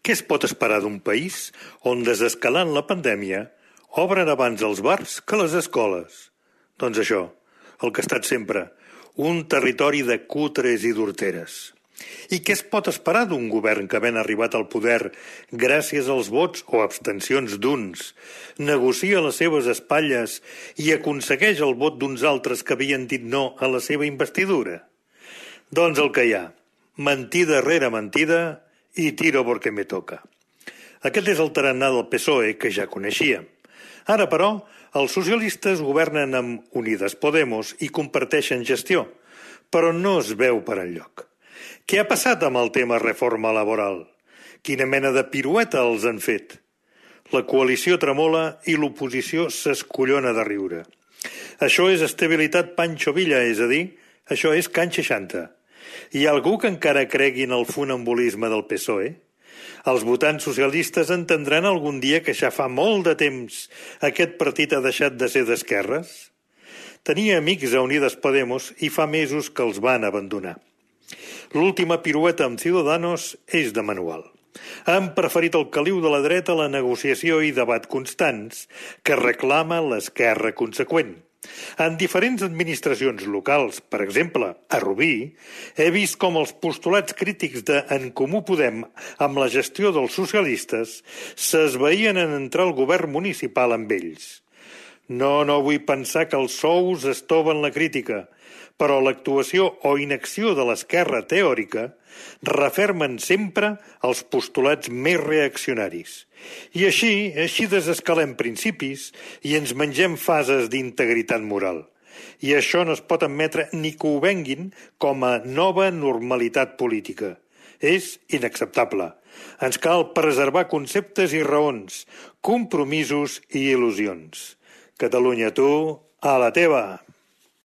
Què es pot esperar d'un país on, desescalant la pandèmia, obren abans els bars que les escoles? Doncs això, el que ha estat sempre, un territori de cutres i d'horteres. I què es pot esperar d'un govern que, havent arribat al poder gràcies als vots o abstencions d'uns, negocia les seves espatlles i aconsegueix el vot d'uns altres que havien dit no a la seva investidura? Doncs el que hi ha, mentida rere mentida i tiro porque me toca. Aquest és el tarannà del PSOE que ja coneixíem. Ara, però, els socialistes governen amb Unides Podemos i comparteixen gestió, però no es veu per enlloc. Què ha passat amb el tema reforma laboral? Quina mena de pirueta els han fet? La coalició tremola i l'oposició s'escollona de riure. Això és estabilitat Pancho Villa, és a dir, això és Can 60. Hi ha algú que encara cregui en el funambulisme del PSOE? Els votants socialistes entendran algun dia que ja fa molt de temps aquest partit ha deixat de ser d'esquerres? Tenia amics a Unides Podemos i fa mesos que els van abandonar. L'última pirueta amb Ciudadanos és de manual. Han preferit el caliu de la dreta a la negociació i debat constants que reclama l'esquerra conseqüent. En diferents administracions locals, per exemple, a Rubí, he vist com els postulats crítics de En Comú Podem amb la gestió dels socialistes s'esvaïen en entrar al govern municipal amb ells. No vull pensar que els sous estoven la crítica, però l'actuació o inacció de l'esquerra teòrica refermen sempre els postulats més reaccionaris. I així desescalem principis i ens mengem fases d'integritat moral. I això no es pot admetre ni que ho venguin com a nova normalitat política. És inacceptable. Ens cal preservar conceptes i raons, compromisos i il·lusions. Catalunya, tu, a la teva!